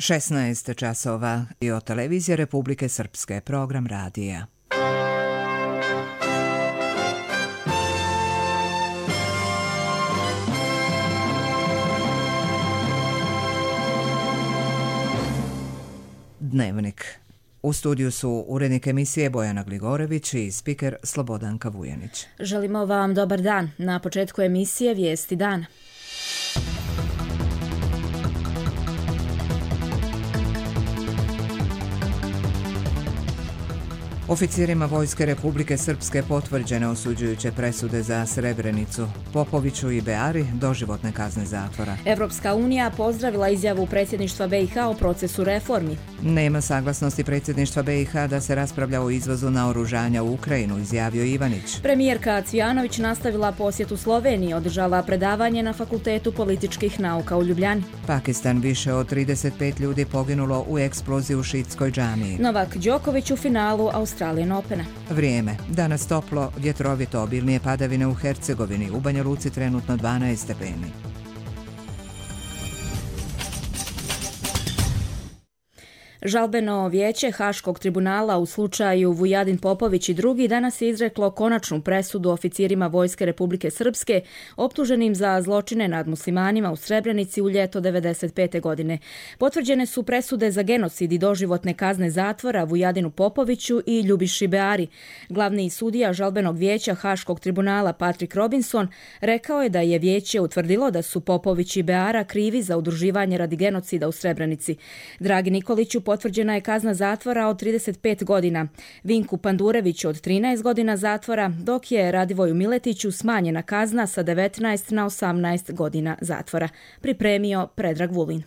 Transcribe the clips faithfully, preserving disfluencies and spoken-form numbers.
šesnaest časova i od Televizije Republike Srpske, program radija. Dnevnik. U studiju su urednik emisije Bojana Gligorević i spiker Slobodanka Vujanić. Želimo vam dobar dan. Na početku emisije Vijesti dana. Oficirima Vojske Republike Srpske potvrđene osuđujuće presude za Srebrenicu. Popoviću i Beari doživotne kazne zatvora. Evropska unija pozdravila izjavu predsjedništva B i H o procesu reformi. Nema saglasnosti predsjedništva B i H da se raspravlja o izvozu naoružanja u Ukrajinu, izjavio Ivanić. Premijerka Cvijanović nastavila posjetu Sloveniji, održala predavanje na Fakultetu političkih nauka u Ljubljani. Pakistan, više od trideset pet ljudi poginulo u eksploziji u šiitskoj džamiji. Novak Đoković u finalu Australian Opena. Vrijeme. Danas toplo, vjetrovito, obilnije padavine u Hercegovini, u Banja Luci trenutno dvanaest stepeni. Žalbeno vijeće Haškog tribunala u slučaju Vujadin Popović i drugi danas je izreklo konačnu presudu oficirima Vojske Republike Srpske optuženim za zločine nad muslimanima u Srebrenici u ljeto devedeset pete. godine. Potvrđene su presude za genocid i doživotne kazne zatvora Vujadinu Popoviću i Ljubiši Beari. Glavni sudija žalbenog vijeća Haškog tribunala Patrick Robinson rekao je da je vijeće utvrdilo da su Popović i Beara krivi za udruživanje radi genocida u Srebrenici. Dragi Nikoliću, potvrđena je kazna zatvora od trideset pet godina, Vinku Pandureviću od trinaest godina zatvora, dok je Radivoju Miletiću smanjena kazna sa devetnaest na osamnaest godina zatvora. Pripremio Predrag Vulin.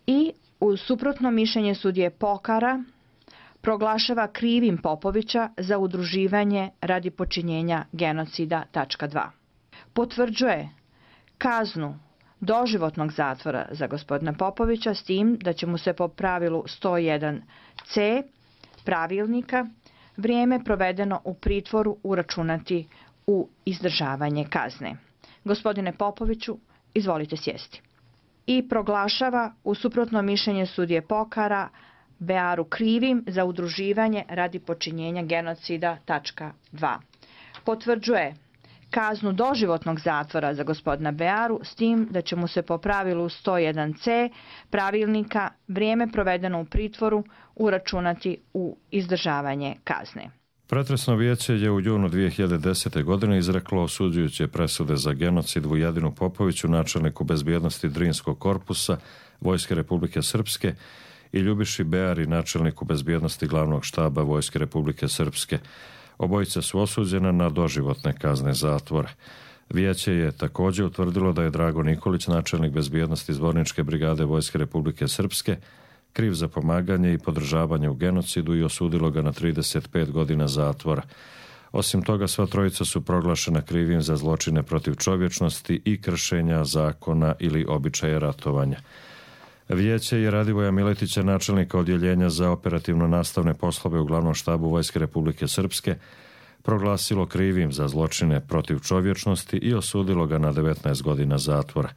I uz suprotno mišljenje sudije Pokara proglašava krivim Popovića za udruživanje radi počinjenja genocida. dva. Potvrđuje kaznu doživotnog zatvora za gospodina Popovića s tim da će mu se po pravilu sto jedan ce pravilnika vrijeme provedeno u pritvoru uračunati u izdržavanje kazne. Gospodine Popoviću, izvolite sjesti. I proglašava u suprotno mišljenje sudije Pokara Bearu krivim za udruživanje radi počinjenja genocida. dva. Potvrđuje kaznu doživotnog zatvora za gospodina Bearu s tim da će mu se po pravilu sto jedan ce pravilnika vrijeme provedeno u pritvoru uračunati u izdržavanje kazne. Pretresno vijeće je u junu dvije hiljade desete. godine izreklo osuđujuće presude za genocid Vujadinu Popoviću, načelniku bezbjednosti Drinskog korpusa Vojske Republike Srpske, i Ljubiši Beari, načelniku bezbjednosti glavnog štaba Vojske Republike Srpske. Obojica su osuđena na doživotne kazne zatvora. Vijeće je također utvrdilo da je Drago Nikolić, načelnik bezbjednosti Zvorničke brigade Vojske Republike Srpske, kriv za pomaganje i podržavanje u genocidu i osudilo ga na trideset pet godina zatvora. Osim toga, sva trojica su proglašena krivim za zločine protiv čovječnosti i kršenja zakona ili običaja ratovanja. Vijeće je Radivoja Miletića, načelnika odjeljenja za operativno nastavne poslove u glavnom štabu Vojske Republike Srpske, proglasilo krivim za zločine protiv čovječnosti i osudilo ga na devetnaest godina zatvora.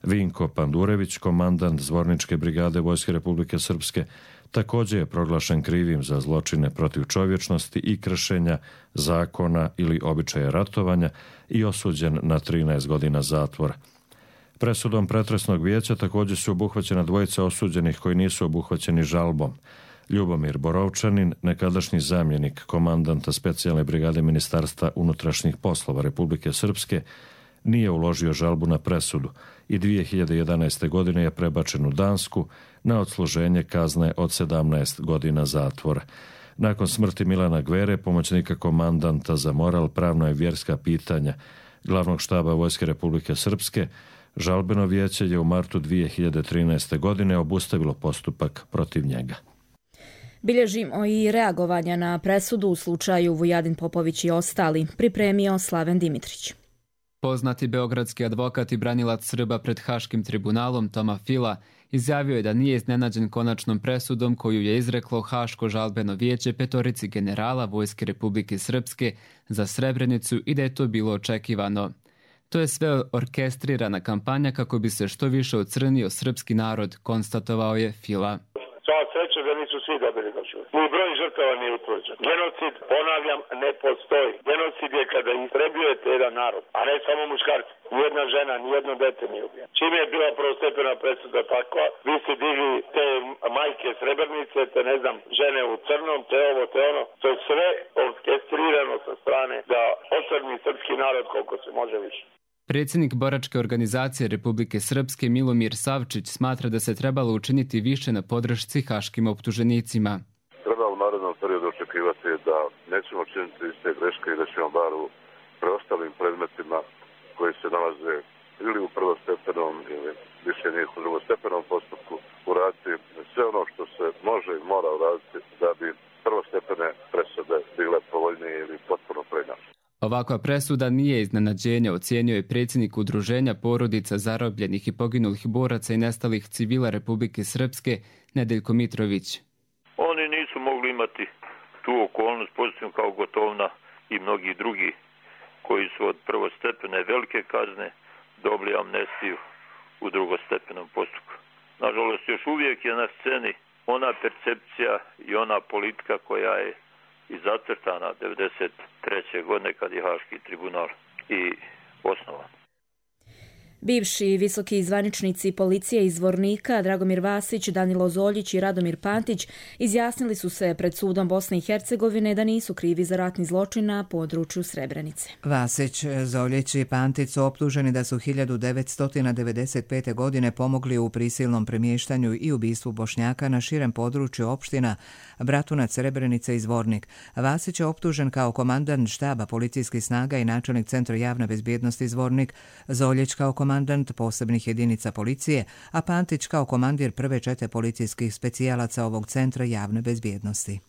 Vinko Pandurević, komandant Zvorničke brigade Vojske Republike Srpske, također je proglašen krivim za zločine protiv čovječnosti i kršenja zakona ili običaja ratovanja i osuđen na trinaest godina zatvora. Presudom pretresnog vijeća također su obuhvaćena dvojica osuđenih koji nisu obuhvaćeni žalbom. Ljubomir Borovčanin, nekadašnji zamjenik komandanta specijalne brigade Ministarstva unutrašnjih poslova Republike Srpske, nije uložio žalbu na presudu i dvije hiljade jedanaeste. godine je prebačen u Dansku na odsluženje kazne od sedamnaest godina zatvora. Nakon smrti Milana Gvere, pomoćnika komandanta za moral, pravna i vjerska pitanja glavnog štaba Vojske Republike Srpske, žalbeno vijeće je u martu dvije hiljade trinaeste. godine obustavilo postupak protiv njega. Bilježimo i reagovanja na presudu u slučaju Vujadin Popović i ostali, pripremio Slaven Dimitrić. Poznati beogradski advokat i branilac Srba pred Haškim tribunalom Toma Fila izjavio je da nije iznenađen konačnom presudom koju je izreklo Haško žalbeno vijeće petorici generala Vojske Republike Srpske za Srebrenicu i da je to bilo očekivano. To je sve orkestrirana kampanja kako bi se što više ocrnio srpski narod, konstatovao je Fila. Sva sreća da nisu svi dobili da čuju. Ni broj žrtava nije utvrđen. Genocid, ponavljam, ne postoji. Genocid je kada istrebljujete jedan narod, a ne samo muškarci. Nijedna žena, nijedno dete nije ubijeno. Čim je bila prvostepena presuda takva, vi ste digli te majke Srebrenice, te ne znam, žene u crnom, te ovo, te ono. To je sve orkestrirano sa strane da ocrni srpski narod koliko se može više. Predsjednik boračke organizacije Republike Srpske Milomir Savčić smatra da se trebalo učiniti više na podršci haškim optuženicima. Treba u narednom periodu očekivati da nećemo činiti iste greške i da ćemo bar u preostalim predmetima koji se nalaze ili u prvostepenom ili više njih u drugostepenom postupku uraditi sve ono što se može i mora uraditi da bi prvostepene presude bile povoljnije ili potpuno preinačene. Ovakva presuda nije iznenađenje, ocijenio je predsjednik Udruženja porodica zarobljenih i poginulih boraca i nestalih civila Republike Srpske Nedeljko Mitrović. Oni nisu mogli imati tu okolnost pozitivno kao Gotovina i mnogi drugi koji su od prvostepene velike kazne dobili amnestiju u drugostepenom postupku. Nažalost, još uvijek je na sceni ona percepcija i ona politika koja je i zacrtana devedeset treće godine kad je Haški tribunal i osnovan. Bivši visoki zvaničnici policije iz Zvornika Dragomir Vasić, Danilo Zoljić i Radomir Pantić izjasnili su se pred sudom Bosne i Hercegovine da nisu krivi za ratni zločin na području Srebrenice. Vasić, Zoljić i Pantić su optuženi da su hiljadu devetsto devedeset pete. godine pomogli u prisilnom premještanju i ubistvu Bošnjaka na širem području opština Bratunac, Srebrenice i Zvornik. Vasić je optužen kao komandant štaba policijskih snaga i načelnik Centra javne bezbjednosti Zvornik, Zoljić kao komandant posebnih jedinica policije, a Pantić kao komandir prve čete policijskih specijalaca ovog Centra javne bezbjednosti.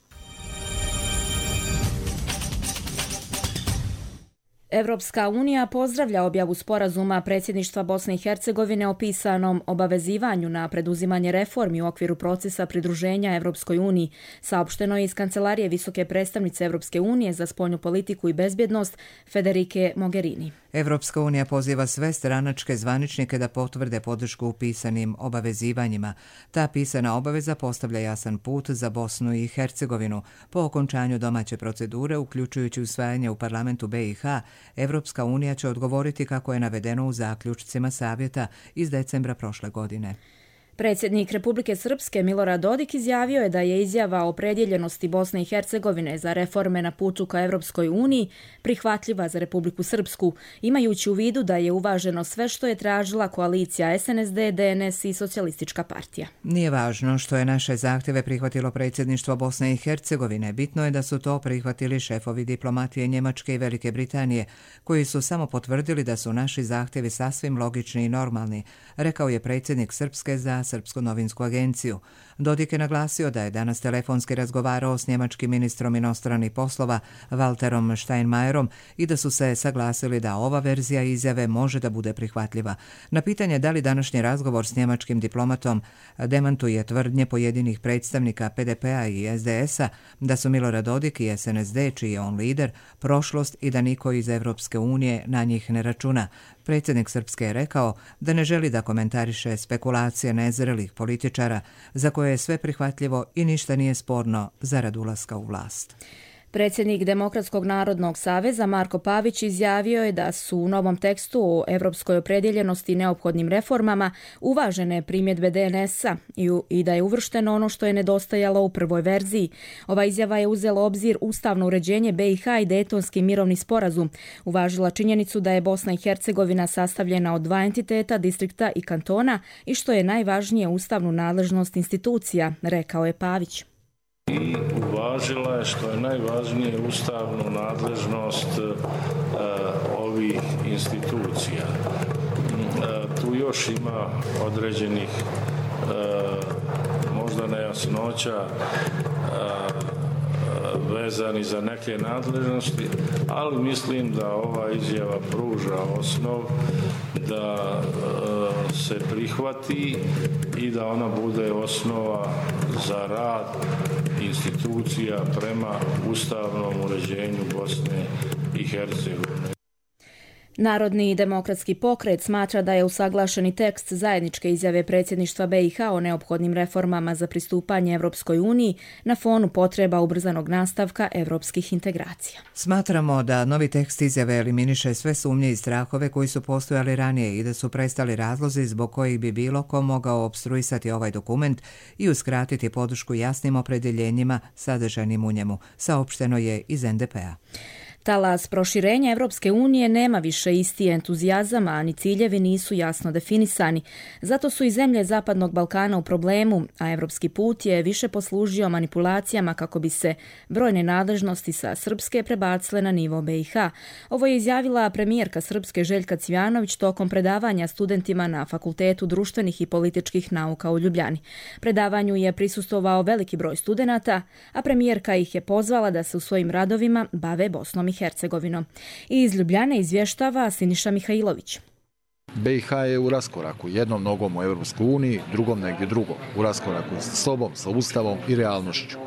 Evropska unija pozdravlja objavu sporazuma predsjedništva Bosne i Hercegovine o pisanom obavezivanju na preduzimanje reformi u okviru procesa pridruženja Evropskoj uniji, saopšteno je iz Kancelarije visoke predstavnice Evropske unije za spoljnu politiku i bezbjednost Federike Mogherini. Evropska unija poziva sve stranačke zvaničnike da potvrde podršku u pisanim obavezivanjima. Ta pisana obaveza postavlja jasan put za Bosnu i Hercegovinu. Po okončanju domaće procedure, uključujući usvajanje u parlamentu be i ha, Evropska unija će odgovoriti kako je navedeno u zaključcima savjeta iz decembra prošle godine. Predsjednik Republike Srpske Milorad Dodik izjavio je da je izjava o opredjeljenosti Bosne i Hercegovine za reforme na putu ka Evropskoj uniji prihvatljiva za Republiku Srpsku, imajući u vidu da je uvaženo sve što je tražila koalicija es en es de, de en es i Socijalistička partija. Nije važno što je naše zahtjeve prihvatilo predsjedništvo Bosne i Hercegovine. Bitno je da su to prihvatili šefovi diplomatije Njemačke i Velike Britanije, koji su samo potvrdili da su naši zahtjevi sasvim logični i normalni, rekao je predsjednik Srpske za Srpsku novinsku agenciju. Dodik je naglasio da je danas telefonski razgovarao s njemačkim ministrom inostranih poslova Walterom Steinmeierom i da su se saglasili da ova verzija izjave može da bude prihvatljiva. Na pitanje da li današnji razgovor s njemačkim diplomatom demantuje tvrdnje pojedinih predstavnika pe de pea i es de esa da su Milorad Dodik i es en es de, čiji je on lider, prošlost i da niko iz Evropske unije na njih ne računa. Predsjednik Srpske je rekao da ne želi da komentariše spekulacije nezrelih političara za koje je sve prihvatljivo i ništa nije sporno zarad ulaska u vlast. Predsjednik Demokratskog narodnog saveza Marko Pavić izjavio je da su u novom tekstu o evropskoj opredjeljenosti i neophodnim reformama uvažene primjedbe de en esa i da je uvršteno ono što je nedostajalo u prvoj verziji. Ova izjava je uzela obzir ustavno uređenje be i ha i Dejtonski mirovni sporazum. Uvažila činjenicu da je Bosna i Hercegovina sastavljena od dva entiteta, distrikta i kantona i što je najvažnije ustavnu nadležnost institucija, rekao je Pavić. I uvažila je što je najvažnije ustavnu nadležnost uh, ovih institucija. Uh, tu još ima određenih uh, možda nejasnoća uh, vezani za neke nadležnosti, ali mislim da ova izjava pruža osnov da uh, se prihvati i da ona bude osnova za rad institucija prema ustavnom uređenju Bosne i Hercegovine. Narodni demokratski pokret smatra da je usaglašeni tekst zajedničke izjave predsjedništva B i H o neophodnim reformama za pristupanje Evropskoj uniji na fonu potreba ubrzanog nastavka evropskih integracija. Smatramo da novi tekst izjave eliminiše sve sumnje i strahove koji su postojali ranije i da su prestali razlozi zbog kojih bi bilo ko mogao opstruisati ovaj dokument i uskratiti podršku jasnim opredjeljenjima sadržajnim u njemu, saopšteno je iz N D P-a. Talas proširenja Evropske unije nema više isti entuzijazam, a ni ciljevi nisu jasno definisani. Zato su i zemlje Zapadnog Balkana u problemu, a evropski put je više poslužio manipulacijama kako bi se brojne nadležnosti sa Srpske prebacile na nivo B i H. Ovo je izjavila premijerka Srpske Željka Cvjanović tokom predavanja studentima na Fakultetu društvenih i političkih nauka u Ljubljani. Predavanju je prisustvovao veliki broj studenata, a premijerka ih je pozvala da se u svojim radovima bave Bosnom i Hercegovinom. I iz Ljubljane izvještava Siniša Mihajlović. B i H je u raskoraku, jednom nogom u Europskoj uniji, drugom negdje drugo, u raskoraku sa sobom, sa ustavom i realnošću.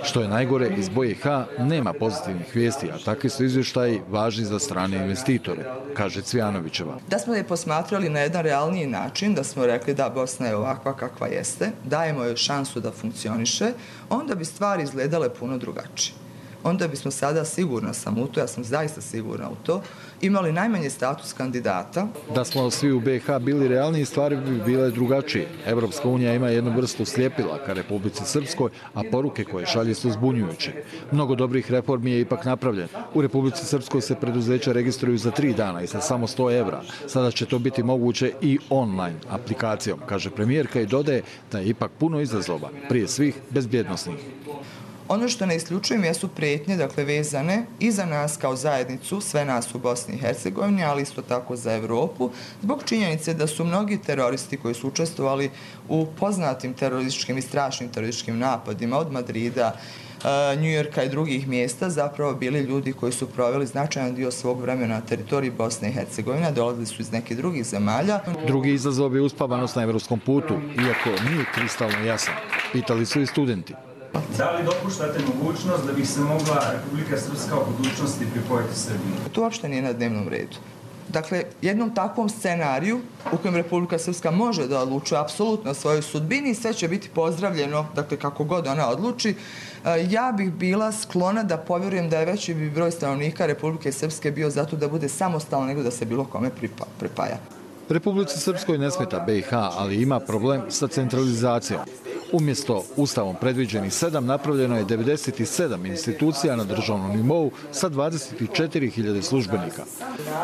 Što je najgore, iz B i H nema pozitivnih vijesti, a takvi su izvještaji važni za strane investitore, kaže Cvjanovićeva. Da smo je posmatrali na jedan realniji način, da smo rekli da Bosna je ovakva kakva jeste, dajemo joj šansu da funkcioniše, onda bi stvari izgledale puno drugačije. Onda bismo sada, sigurna sam u to, ja sam zaista sigurna u to, imali najmanje status kandidata. Da smo svi u B i H bili realniji, stvari bi bile drugačije. Evropska unija ima jednu vrstu sljepila ka Republici Srpskoj, a poruke koje šalje su zbunjujuće. Mnogo dobrih reformi je ipak napravljen. U Republici Srpskoj se preduzeća registruju za tri dana i sa samo sto evra. Sada će to biti moguće i online aplikacijom, kaže premijerka i dodaje da je ipak puno izazova, prije svih bezbjednosnih. Ono što ne isključujem jesu prijetnje, dakle vezane i za nas kao zajednicu, sve nas u Bosni i Hercegovini, ali isto tako za Europu, zbog činjenice da su mnogi teroristi koji su učestvovali u poznatim terorističkim i strašnim terorističkim napadima od Madrida, Njujorka i drugih mjesta zapravo bili ljudi koji su proveli značajan dio svog vremena na teritoriji Bosne i Hercegovine, dolazili su iz nekih drugih zemalja. Drugi izazov je uspavanost na evropskom putu, iako nije kristalno jasan. Pitali su i studenti. Da li dopuštate mogućnost da bi se mogla Republika Srpska u budućnosti pripojiti Srbiji? To uopšte nije na dnevnom redu. Dakle, jednom takvom scenariju u kojem Republika Srpska može da odlučuje apsolutno o svojoj sudbini, sve će biti pozdravljeno, dakle kako god ona odluči. Ja bih bila sklona da povjerujem da je veći broj stanovnika Republike Srpske bio zato da bude samostalno nego da se bilo kome pripaja. Republici Srpskoj ne smeta B i H, ali ima problem sa centralizacijom. Umjesto ustavom predviđenih sedam, napravljeno je devedeset sedam institucija na državnom nivou sa dvadeset četiri hiljade službenika.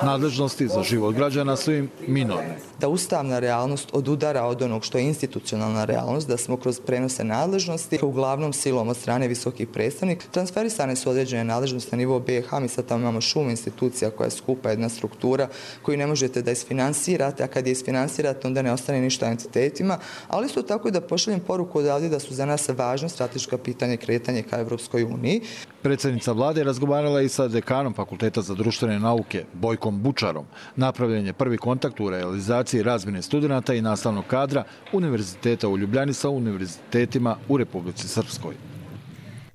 Nadležnosti za život građana su im minorne. Da ustavna realnost odudara od onog što je institucionalna realnost, da smo kroz prenose nadležnosti, uglavnom silom od strane visokih predstavnika, transferisane su određene nadležnosti na nivou B i H, mi sad tamo imamo šum institucija koja je skupa jedna struktura koju ne možete da isfinansirate, a kad je isfinansirate onda ne ostane ništa entitetima, ali isto tako i da pošaljem poruku odavdje da su za nas važno strateška pitanje kretanje ka Evropskoj uniji. Predsjednica vlade razgovarala i sa dekanom Fakulteta za društvene nauke, Bojkom Bučarom. Napravljen je prvi kontakt u realizaciji razmjene studenata i nastavnog kadra Univerziteta u Ljubljani sa univerzitetima u Republici Srpskoj.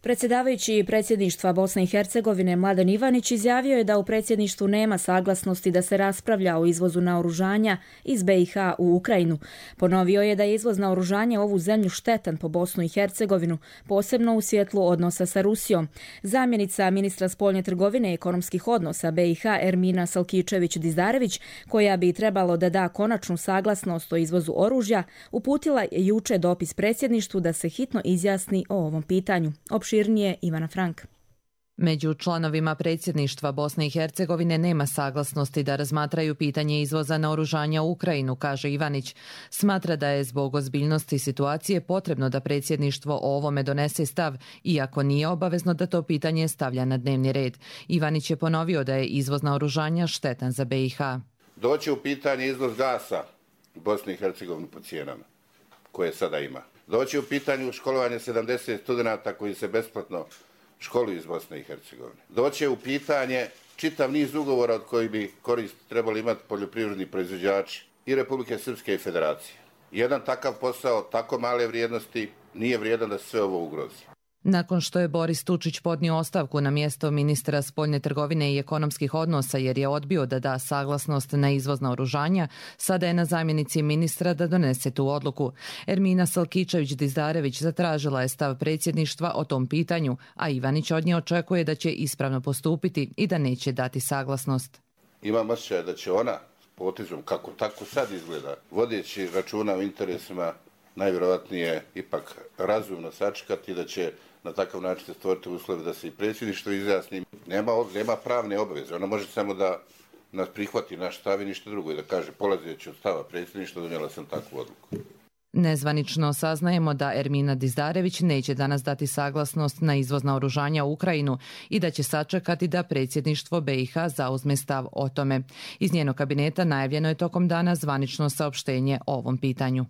Predsjedavajući predsjedništva Bosne i Hercegovine Mladen Ivanić izjavio je da u predsjedništvu nema saglasnosti da se raspravlja o izvozu naoružanja iz B i H u Ukrajinu. Ponovio je da je izvoz naoružanja u ovu zemlju štetan po Bosnu i Hercegovinu, posebno u svjetlu odnosa sa Rusijom. Zamjenica ministra spoljne trgovine i ekonomskih odnosa B i H Ermina Salkičević-Dizdarević, koja bi trebalo da da konačnu saglasnost o izvozu oružja, uputila je juče dopis predsjedništvu da se hitno izjasni o ovom pitanju. Opširnije Ivana Frank. Među članovima predsjedništva Bosne i Hercegovine nema saglasnosti da razmatraju pitanje izvoza naoružanja u Ukrajinu, kaže Ivanić. Smatra da je zbog ozbiljnosti situacije potrebno da predsjedništvo o ovome donese stav, iako nije obavezno da to pitanje stavlja na dnevni red. Ivanić je ponovio da je izvoz naoružanja štetan za B i H. Doći u pitanje izvoz gasa u Bosni i Hercegovini po cijenama koje sada ima. Doći u pitanju školovanje sedamdeset studenata koji se besplatno školuju iz Bosne i Hercegovine. Doći u pitanje čitav niz ugovora od kojih bi korist trebali imati poljoprivredni proizvođači i Republike Srpske i Federacije. Jedan takav posao, tako male vrijednosti, nije vrijedan da se sve ovo ugrozi. Nakon što je Boris Tučić podnio ostavku na mjesto ministra spoljne trgovine i ekonomskih odnosa jer je odbio da da saglasnost na izvoz naoružanja, sada je na zamjenici ministra da donese tu odluku. Ermina Salkičević-Dizdarević zatražila je stav predsjedništva o tom pitanju, a Ivanić od nje očekuje da će ispravno postupiti i da neće dati saglasnost. Imam osjećaj da će ona s potezom, kako tako sad izgleda, vodeći računa o interesima, najvjerojatnije ipak razumno sačekati da će na takav način se stvoriti uslove da se i predsjedništvo izjasni. Nema, nema pravne obaveze, ona može samo da nas prihvati naš stav i ništa drugo i da kaže polazeći od stava predsjedništva donijela sam takvu odluku. Nezvanično saznajemo da Ermina Dizdarević neće danas dati saglasnost na izvoz naoružanja u Ukrajinu i da će sačekati da predsjedništvo B i H zauzme stav o tome. Iz njenog kabineta najavljeno je tokom dana zvanično saopštenje o ovom pitanju.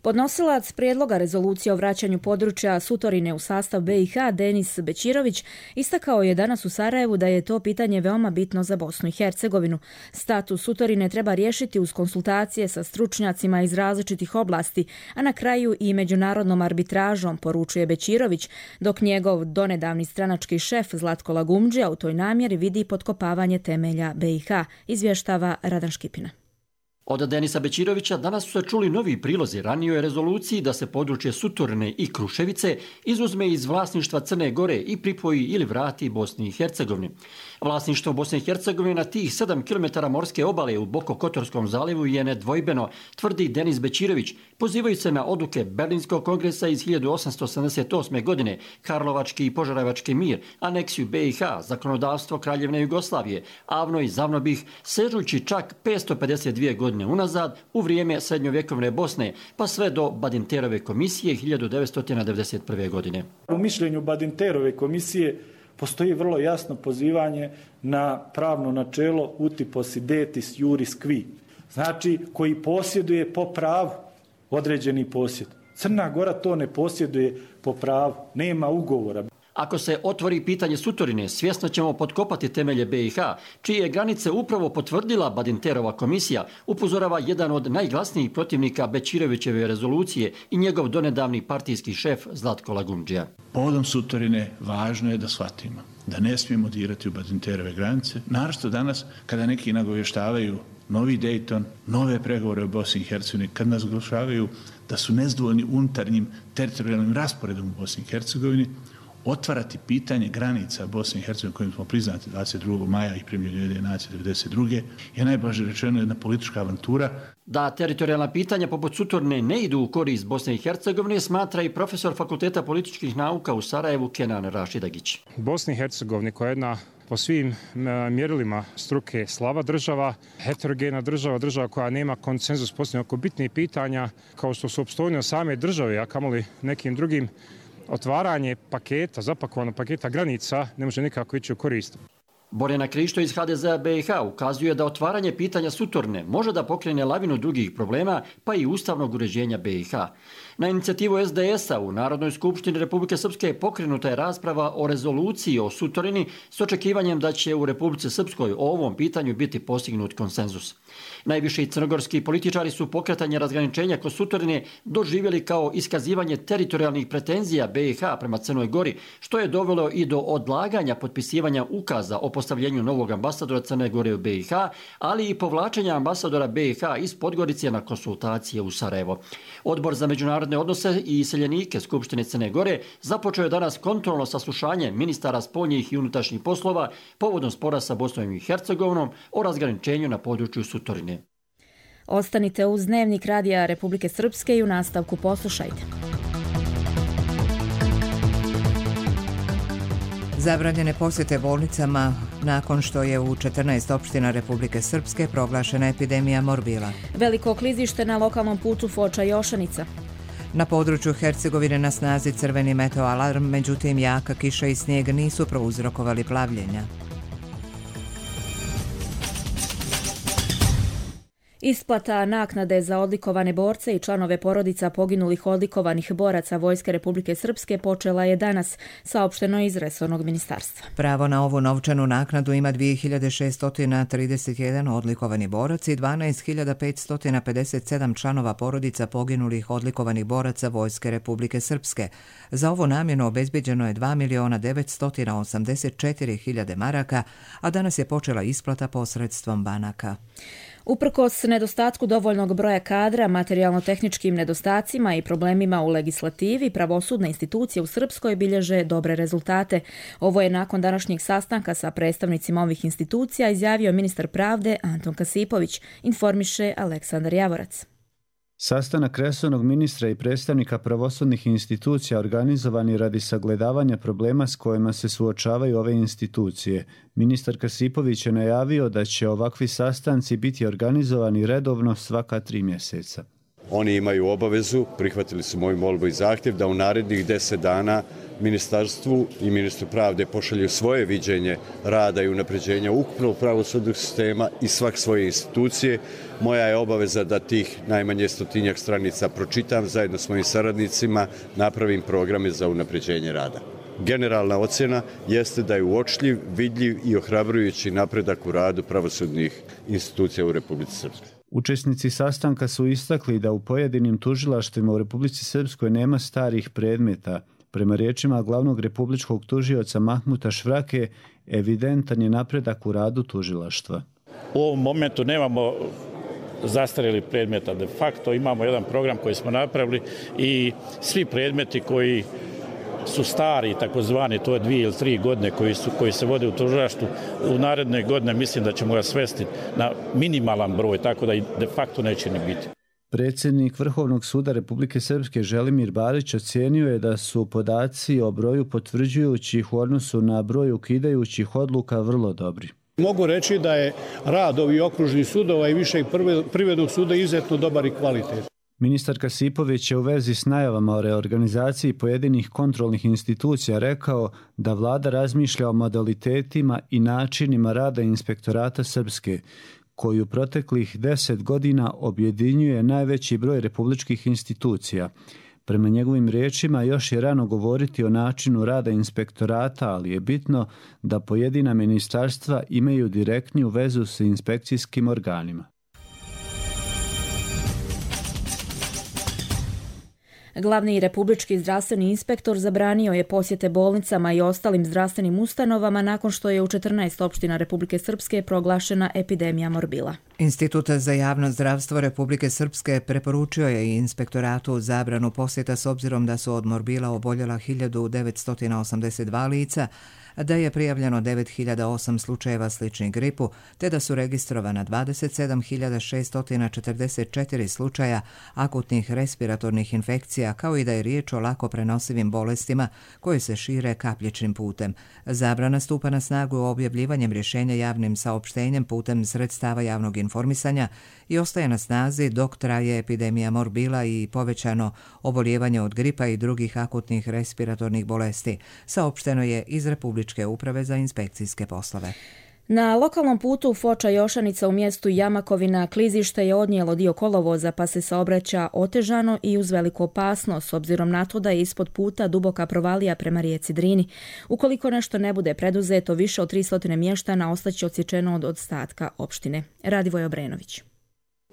Podnosilac prijedloga rezolucije o vraćanju područja Sutorine u sastav B i H, Denis Bećirović, istakao je danas u Sarajevu da je to pitanje veoma bitno za Bosnu i Hercegovinu. Status Sutorine treba riješiti uz konsultacije sa stručnjacima iz različitih oblasti, a na kraju i međunarodnom arbitražom, poručuje Bećirović, dok njegov donedavni stranački šef Zlatko Lagumdžija u toj namjeri vidi potkopavanje temelja B i H, izvještava Radan Škipina. Od Denisa Bećirovića danas su se čuli novi prilozi ranijoj rezoluciji da se područje Sutorine i Kruševice izuzme iz vlasništva Crne Gore i pripoji ili vrati Bosni i Hercegovini. Vlasništvo Bosne i Hercegovine na tih sedam kilometara morske obale u Bokokotorskom zalivu je nedvojbeno, tvrdi Denis Bećirović, pozivajući se na odluke Berlinskog kongresa iz hiljadu osamsto osamdeset osme. godine, Karlovački i Požarevački mir, aneksiju B i H, zakonodavstvo Kraljevine Jugoslavije, Avno i Zavnobih, sežući čak petsto pedeset dvije godine unazad u vrijeme srednjovjekovne Bosne, pa sve do Badinterove komisije hiljadu devetsto devedeset prve. godine. U mišljenju Badinterove komisije postoji vrlo jasno pozivanje na pravno načelo uti possidetis juris qui, znači koji posjeduje po pravu određeni posjed. Crna Gora to ne posjeduje po pravu, nema ugovora. Ako se otvori pitanje Sutorine, svjesno ćemo potkopati temelje B i H, čije granice upravo potvrdila Badinterova komisija, upozorava jedan od najglasnijih protivnika Bećirovićeve rezolucije i njegov donedavni partijski šef Zlatko Lagumdžija. Povodom Sutorine važno je da shvatimo da ne smijemo dirati u Badinterove granice, naročito danas kada neki nagovještavaju novi Dayton, nove pregovore u Bosni i Hercegovini, kad nas oglašavaju da su nezadovoljni unutarnjim teritorijalnim rasporedom u Bosni i Hercegovini, otvarati pitanje granica Bosne i Hercegovine kojim smo priznati dvadeset drugog maja i primljeni Ujedinjene nacije devedeset druge je najblaže rečeno jedna politička avantura. Da teritorijalna pitanja poput Sutorine ne idu u korist Bosne i Hercegovine, smatra i profesor Fakulteta političkih nauka u Sarajevu Kenan Rašidagić. Bosni i Hercegovini koja je jedna po svim mjerilima struke slaba država, heterogena država, država koja nema konsenzus posljednje oko bitnih pitanja kao što su opstojnost same države, a kamoli nekim drugim, otvaranje paketa, zapakovanog paketa granica ne može nikako ići u korist. Borjana Krišto iz H D Z-a B i H ukazuje da otvaranje pitanja Sutorine može da pokrene lavinu drugih problema, pa i ustavnog uređenja B i H. Na inicijativu S D S-a u Narodnoj skupštini Republike Srpske pokrenuta je rasprava o rezoluciji o Sutorini s očekivanjem da će u Republici Srpskoj o ovom pitanju biti postignut konsenzus. Najviši crnogorski političari su pokretanje razgraničenja kod Sutorine doživjeli kao iskazivanje teritorijalnih pretenzija B i H prema Crnoj Gori, što je dovelo i do odlaganja potpisivanja ukaza o postavljenju novog ambasadora Crne Gore u B i H, ali i povlačenja ambasadora B i H iz Podgorice na konsultacije u Sarajevo. Odbor za međunarodne odnose i iseljenike Skupštine Crne Gore započeo je danas kontrolno saslušanje ministara spoljnih i unutrašnjih poslova povodom spora sa Bosnom i Hercegovinom o razgraničenju na području Sutorine. Ostanite uz Dnevnik Radija Republike Srpske i u nastavku poslušajte. Zabranjene posjete bolnicama nakon što je u četrnaest opština Republike Srpske proglašena epidemija morbila. Veliko klizište na lokalnom putu Foča-Jošanica. Na području Hercegovine na snazi crveni meteo alarm, međutim jaka kiša i snijeg nisu prouzrokovali plavljenja. Isplata naknade za odlikovane borce i članove porodica poginulih odlikovanih boraca Vojske Republike Srpske počela je danas, saopšteno iz resornog ministarstva. Pravo na ovu novčanu naknadu ima dvije hiljade šeststo trideset jedan odlikovani borac i dvanaest hiljada petsto pedeset sedam članova porodica poginulih odlikovanih boraca Vojske Republike Srpske. Za ovu namjenu obezbeđeno je dva miliona devetsto osamdeset četiri hiljade maraka, a danas je počela isplata posredstvom banaka. Uprkos nedostatku dovoljnog broja kadra, materijalno-tehničkim nedostacima i problemima u legislativi, pravosudne institucije u Srpskoj bilježe dobre rezultate. Ovo je nakon današnjeg sastanka sa predstavnicima ovih institucija izjavio ministar pravde Anton Kasipović, informiše Aleksandar Javorac. Sastanak resornog ministra i predstavnika pravosudnih institucija organizovan je radi sagledavanja problema s kojima se suočavaju ove institucije. Ministar Kasipović je najavio da će ovakvi sastanci biti organizovani redovno svaka tri mjeseca. Oni imaju obavezu, prihvatili su moju molbu i zahtjev da u narednih deset dana ministarstvu i ministru pravde pošalju svoje viđenje rada i unapređenja ukupnog pravosudnog sistema i svak svoje institucije. Moja je obaveza da tih najmanje stotinjak stranica pročitam zajedno s mojim saradnicima, napravim programe za unapređenje rada. Generalna ocjena jeste da je uočljiv, vidljiv i ohrabrujući napredak u radu pravosudnih institucija u Republici Srpskoj. Učesnici sastanka su istakli da u pojedinim tužilaštvima u Republici Srpskoj nema starih predmeta. Prema riječima glavnog republičkog tužioca Mahmuta Švrake, evidentan je napredak u radu tužilaštva. U ovom momentu nemamo zastarjelih predmeta. De facto imamo jedan program koji smo napravili i svi predmeti koji su stari, takozvani, to je dvije ili tri godine koji, su, koji se vode u tužilaštvu, u naredne godine mislim da ćemo ga svesti na minimalan broj, tako da i de facto neće ni biti. Predsjednik Vrhovnog suda Republike Srpske Želimir Barić ocijenio je da su podaci o broju potvrđujućih u odnosu na broj ukidajućih odluka vrlo dobri. Mogu reći da je rad ovih okružnih sudova i višeg privrednog suda izuzetno dobar i kvalitet. Ministar Kasipović je u vezi s najavama o reorganizaciji pojedinih kontrolnih institucija rekao da vlada razmišlja o modalitetima i načinima rada Inspektorata Srpske, koji u proteklih deset godina objedinjuje najveći broj republičkih institucija. Prema njegovim riječima još je rano govoriti o načinu rada inspektorata, ali je bitno da pojedina ministarstva imaju direktniju vezu s inspekcijskim organima. Glavni republički zdravstveni inspektor zabranio je posjete bolnicama i ostalim zdravstvenim ustanovama nakon što je u četrnaest opština Republike Srpske proglašena epidemija morbila. Institut za javno zdravstvo Republike Srpske preporučio je i inspektoratu zabranu posjeta s obzirom da su od morbila oboljela hiljadu devetsto osamdeset dva lica, da je prijavljeno devet hiljada osam slučajeva sličnih gripu, te da su registrovana dvadeset sedam hiljada šeststo četrdeset četiri slučaja akutnih respiratornih infekcija, kao i da je riječ o lako prenosivim bolestima koje se šire kapljičnim putem. Zabrana stupa na snagu objavljivanjem rješenja javnim saopštenjem putem sredstava javnog informisanja i ostaje na snazi dok traje epidemija morbila i povećano oboljevanje od gripa i drugih akutnih respiratornih bolesti, saopšteno je iz Republičke uprave za inspekcijske poslove. Na lokalnom putu Foča-Jošanica u mjestu Jamakovina klizište je odnijelo dio kolovoza pa se saobraća otežano i uz veliku opasnost s obzirom na to da je ispod puta duboka provalija prema rijeci Drini. Ukoliko nešto ne bude preduzeto, više od tristo mještana ostaće odsječeno od ostatka opštine. Radivoj Obrenović.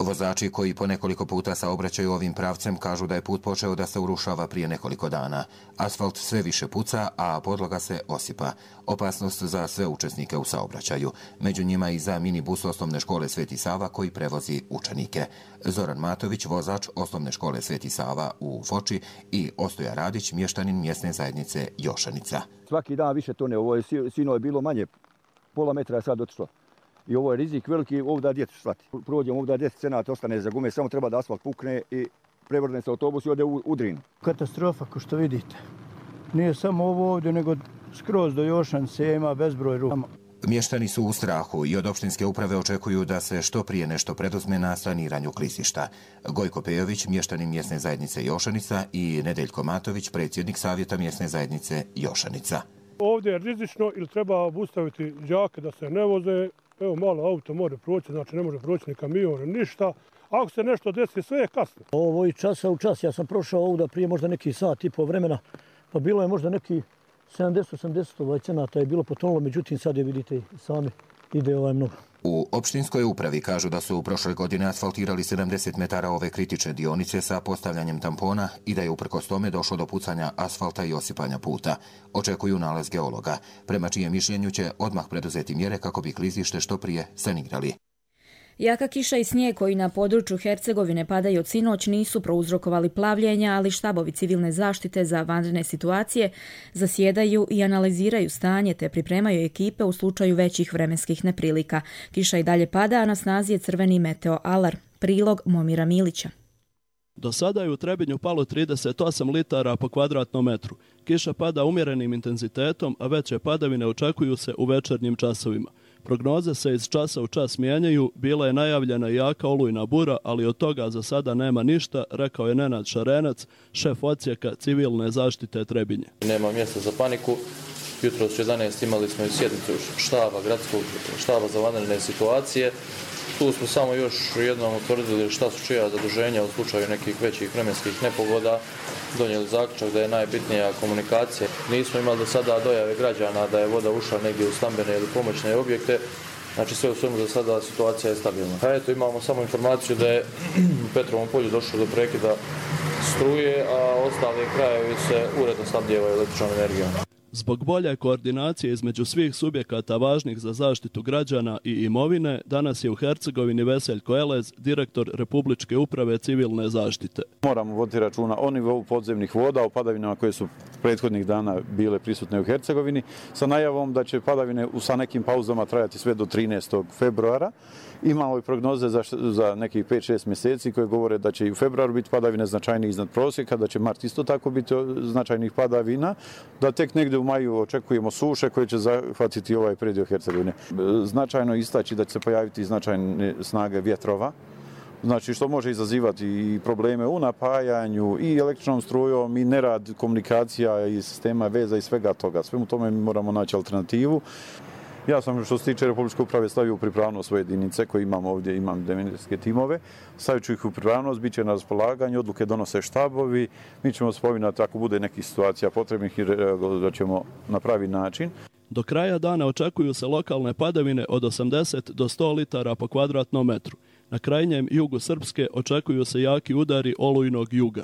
Vozači koji po nekoliko puta saobraćaju ovim pravcem kažu da je put počeo da se urušava prije nekoliko dana. Asfalt sve više puca, a podloga se osipa. Opasnost za sve učesnike u saobraćaju. Među njima i za minibus osnovne škole Sveti Sava koji prevozi učenike. Zoran Matović, vozač osnovne škole Sveti Sava u Foči i Ostoja Radić, mještanin mjesne zajednice Jošanica. Svaki dan više tone, ovo je sino je bilo manje, pola metra je sad otišlo. I ovo je rizik veliki, ovdje djecu slati. Prođemo ovdje deset cenata, ostane za gume, samo treba da asfalt pukne i prevrne se autobus i ode u, u Drin. Katastrofa, kao što vidite. Nije samo ovo ovdje, nego skroz do Jošanice ima bezbroj rupa. Mještani su u strahu i od opštinske uprave očekuju da se što prije nešto preduzme na saniranju klizišta. Gojko Pejović, mještanin mjesne zajednice Jošanica i Nedeljko Matović, predsjednik savjeta mjesne zajednice Jošanica. Ovdje je rizično ili treba obustaviti đake da se ne voze Evo malo auto može proći, znači ne može proći ni kamion, ništa. Ako se nešto desi, sve je kasno. Ovo i časa u čas. Ja sam prošao ovuda prije možda neki sat i po vremena, pa bilo je možda neki sedamdeset osamdeset ovaj cenata je bilo potonulo, međutim sad je vidite sami ide ovaj mnogo. U opštinskoj upravi kažu da su u prošle godine asfaltirali sedamdeset metara ove kritične dionice sa postavljanjem tampona i da je uprkos tome došlo do pucanja asfalta i osipanja puta. Očekuju nalaz geologa, prema čijem mišljenju će odmah preduzeti mjere kako bi klizište što prije sanirali. Jaka kiša i snijeg koji na području Hercegovine padaju od sinoć nisu prouzrokovali plavljenja, ali štabovi civilne zaštite za vanredne situacije zasjedaju i analiziraju stanje te pripremaju ekipe u slučaju većih vremenskih neprilika. Kiša i dalje pada, a na snazi je crveni meteo alarm. Prilog Momira Milića. Do sada je u Trebinju palo trideset osam litara po kvadratnom metru. Kiša pada umjerenim intenzitetom, a veće padavine očekuju se u večernjim časovima. Prognoze se iz časa u čas mijenjaju, bila je najavljena jaka olujna bura, ali od toga za sada nema ništa, rekao je Nenad Šarenac, šef odsjeka civilne zaštite Trebinje. Nema mjesta za paniku. Jutros u jedanaest imali smo i sjednicu štaba, gradskog štaba za vanredne situacije. Tu smo samo još jednom utvrdili šta su čija zaduženja u slučaju nekih većih vremenskih nepogoda. Donijeli zaključak da je najbitnija komunikacija. Nismo imali do sada dojave građana da je voda ušla negdje u stambene ili pomoćne objekte. Znači sve u svemu za sada situacija je stabilna. A eto imamo samo informaciju da je u Petrovom polju došlo do prekida struje, a ostali krajevi se uredno snabdijevaju električnom energijom. Zbog bolje koordinacije između svih subjekata važnih za zaštitu građana i imovine, danas je u Hercegovini Veseljko Elez, direktor Republičke uprave civilne zaštite. Moramo voditi računa o nivou podzemnih voda, o padavinama koje su prethodnih dana bile prisutne u Hercegovini, sa najavom da će padavine sa nekim pauzama trajati sve do trinaestog februara. Imamo i prognoze za, za nekih pet šest mjeseci koje govore da će i u februaru biti padavine značajnije iznad prosjeka, da će mart isto tako biti značajnih padavina, da tek negdje u maju očekujemo suše koje će zahvatiti ovaj predio Hercegovine. Značajno istaći da će se pojaviti značajne snage vjetrova, znači što može izazivati i probleme u napajanju i električnom strujom i nerad komunikacija i sistema veza i svega toga. Svemu tome mi moramo naći alternativu. Ja sam što se tiče Republičke uprave stavio u pripravnost svoje jedinice koje imam ovdje, imam devetske timove. Stavit ću ih u pripravnost, bit će na raspolaganju, odluke donose štabovi. Mi ćemo spominati ako bude nekih situacija potrebnih i da ćemo na pravi način. Do kraja dana očekuju se lokalne padavine od osamdeset do sto litara po kvadratnom metru. Na krajnjem jugu Srpske očekuju se jaki udari olujnog juga.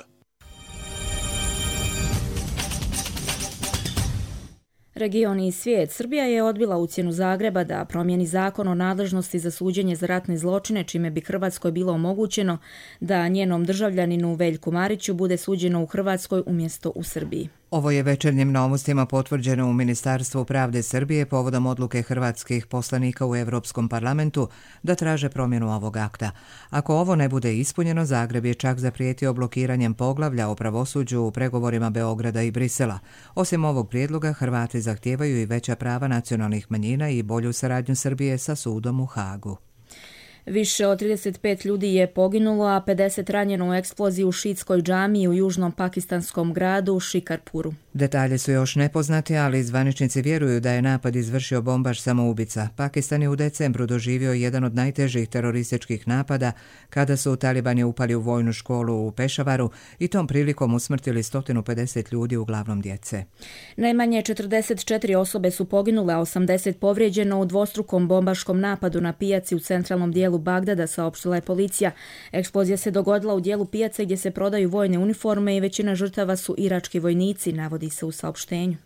Region i svijet. Srbija je odbila ucjenu Zagreba da promijeni zakon o nadležnosti za suđenje za ratne zločine, čime bi Hrvatskoj bilo omogućeno da njenom državljaninu Veljku Mariću bude suđeno u Hrvatskoj umjesto u Srbiji. Ovo je Večernjim novostima potvrđeno u Ministarstvu pravde Srbije povodom odluke hrvatskih poslanika u Europskom parlamentu da traže promjenu ovog akta. Ako ovo ne bude ispunjeno, Zagreb je čak zaprijetio blokiranjem poglavlja o pravosuđu u pregovorima Beograda i Brisela. Osim ovog prijedloga, Hrvati zahtijevaju i veća prava nacionalnih manjina i bolju saradnju Srbije sa sudom u Hagu. Više od trideset pet ljudi je poginulo, a pedeset ranjeno u eksploziji u šiitskoj džamiji u južnom pakistanskom gradu Šikarpuru. Detalje su još nepoznati, ali zvaničnici vjeruju da je napad izvršio bombaš samoubica. Pakistan je u decembru doživio jedan od najtežih terorističkih napada kada su talibani upali u vojnu školu u Pešavaru i tom prilikom usmrtili sto pedeset ljudi, uglavnom djece. Najmanje četrdeset četiri osobe su poginule, a osamdeset povrijeđeno u dvostrukom bombaškom napadu na pijaci u centralnom dijelu Bagdada, saopštila je policija. Eksplozija se dogodila u dijelu pijace gdje se prodaju vojne uniforme i većina žrtava su irački vojnici, navodi se u saopštenju.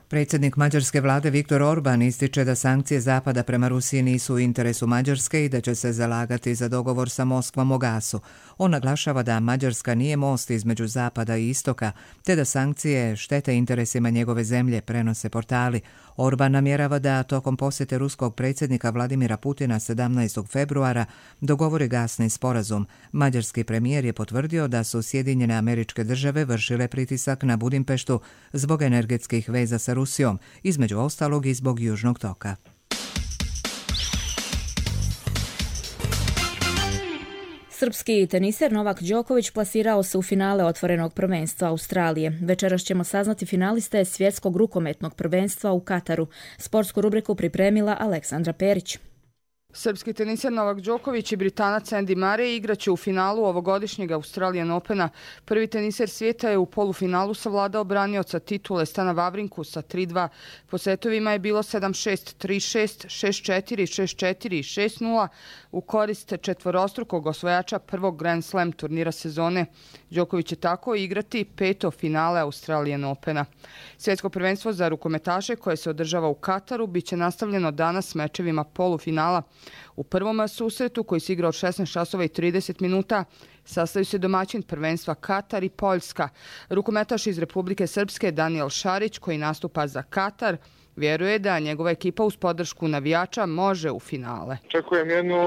Predsjednik mađarske vlade Viktor Orban ističe da sankcije Zapada prema Rusiji nisu u interesu Mađarske i da će se zalagati za dogovor sa Moskvom o gasu. On naglašava da Mađarska nije most između Zapada i Istoka, te da sankcije štete interesima njegove zemlje, prenose portali. Orban namjerava da tokom posjete ruskog predsjednika Vladimira Putina sedamnaestog februara dogovori gasni sporazum. Mađarski premijer je potvrdio da su Sjedinjene Američke Države vršile pritisak na Budimpeštu zbog energetskih veza sa Rusijom, između ostalog i zbog Južnog toka. Srpski teniser Novak Đoković plasirao se u finale otvorenog prvenstva Australije. Večeras ćemo saznati finaliste svjetskog rukometnog prvenstva u Kataru. Sportsku rubriku pripremila Aleksandra Perić. Srpski teniser Novak Đoković i Britanac Andy Murray igraće u finalu ovogodišnjeg Australian Opena. Prvi teniser svijeta je u polufinalu savladao branioca titule Stana Vavrinku sa tri dva. Po setovima je bilo sedam šest, tri šest, šest četiri, šest četiri i šest nula u korist četvorostrukog osvajača prvog Grand Slam turnira sezone. Đoković će tako igrati peto finale Australian Opena. Svjetsko prvenstvo za rukometaše koje se održava u Kataru biće nastavljeno danas mečevima polufinala. U prvom susretu, koji se igra od šesnaest časova i trideset minuta, sastaju se domaćin prvenstva Katar i Poljska. Rukometaš iz Republike Srpske Daniel Šarić, koji nastupa za Katar, vjeruje da njegova ekipa uz podršku navijača može u finale. Očekujem jednu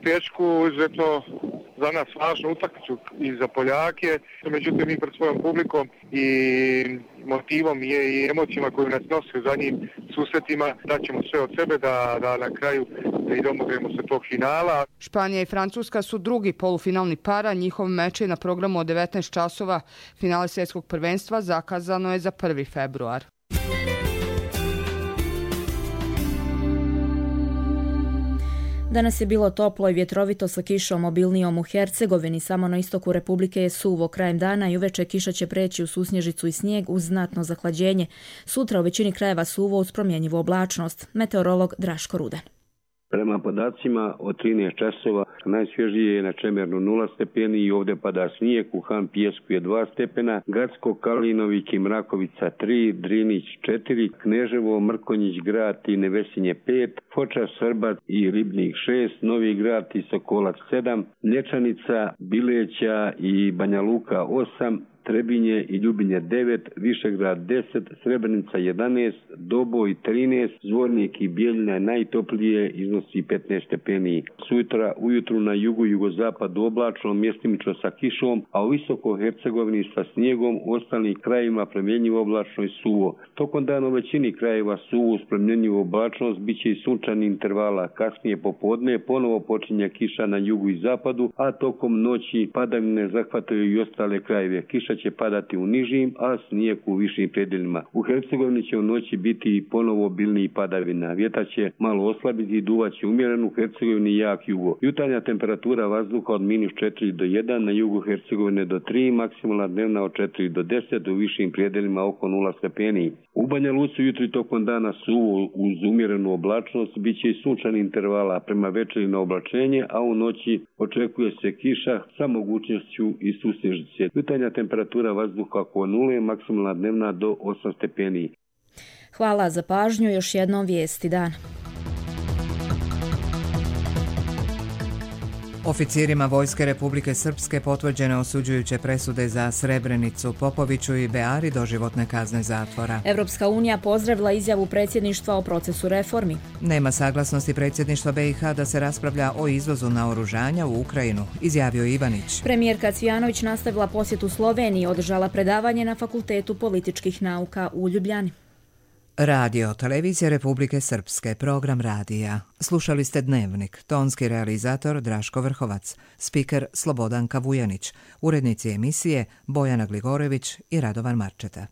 tešku, izuzetno za nas važnu utakmicu i za Poljake, međutim mi pred svojom publikom i motivom i emocijama koju nas nosi u zadnjim susretima daćemo sve od sebe da, da na kraju i domognemo se tog finala. Španija i Francuska su drugi polufinalni para, njihov meč je na programu od devetnaest časova. Finale svjetskog prvenstva zakazano je za prvi februar. Danas je bilo toplo i vjetrovito sa kišom obilnijom u Hercegovini. Samo na istoku Republike je suvo krajem dana i uveče kiša će preći u susnježicu i snijeg uz znatno zahlađenje. Sutra u većini krajeva suvo uz promjenjivu oblačnost. Meteorolog Draško Rudan. Prema podacima od trinaest časova najsvježije je na Čemernu nula stepeni i ovdje pada snijeg, u Han Pijesku je dva stepena, Gacko, Kalinovik i Mrakovica tri, Drinić četiri, Kneževo, Mrkonjić Grad i Nevesinje pet, Foča, Srbac i Ribnik šest, Novi Grad i Sokolac sedam, Lječanica, Bileća i Banja Luka osam, Trebinje i Ljubinje devet, Višegrad deset, Srebrenica jedanaest, Doboj trinaest, Zvornik i Bijeljina najtoplije iznosi petnaest stepeni. Sutra ujutru na jugu i jugozapadu oblačno, mjestimično sa kišom, a u visoko Hercegovini sa snijegom, u ostalim krajevima promjenjivo oblačno i suvo. Tokom dana u većini krajeva suvo uz promjenjivu oblačnost, bit će i sunčani intervala. Kasnije popodne ponovo počinje kiša na jugu i zapadu, a tokom noći padavine zahvataju i ostale krajeve. Kiša će padati u nižim, a snijeg u višim predjelima. U Hercegovini će u noći biti ponovo obilniji padavina. Vjetar će malo oslabiti i duvaće umjereno, u Hercegovini jak jugo. Jutarnja temperatura vazduha od minus četiri do jedan, na jugu Hercegovine do tri, maksimalna dnevna od četiri do deset, u višim predjelima oko nula stepeni. U Banja Luci jutri tokom dana suvo uz umjerenu oblačnost, bit će i sunčani intervala prema večeri na oblačenje, a u noći očekuje se kiša sa mogućnošću i susnježice. Jutarnja temperatura vazduha oko nule, maksimalna dnevna do osam stepeni. Hvala za pažnju, još jednom vijesti dan. Oficirima Vojske Republike Srpske potvrđene osuđujuće presude za Srebrenicu, Popoviću i Beari doživotne kazne zatvora. Evropska unija pozdravila izjavu predsjedništva o procesu reformi. Nema saglasnosti predsjedništva B i H da se raspravlja o izvozu naoružanja u Ukrajinu, izjavio Ivanić. Premijerka Cvijanović nastavila posjetu Sloveniji i održala predavanje na Fakultetu političkih nauka u Ljubljani. Radio, televizija Republike Srpske, program radija. Slušali ste Dnevnik, tonski realizator Draško Vrhovac, spiker Slobodanka Vujanić, urednici emisije Bojana Gligorević i Radovan Marčeta.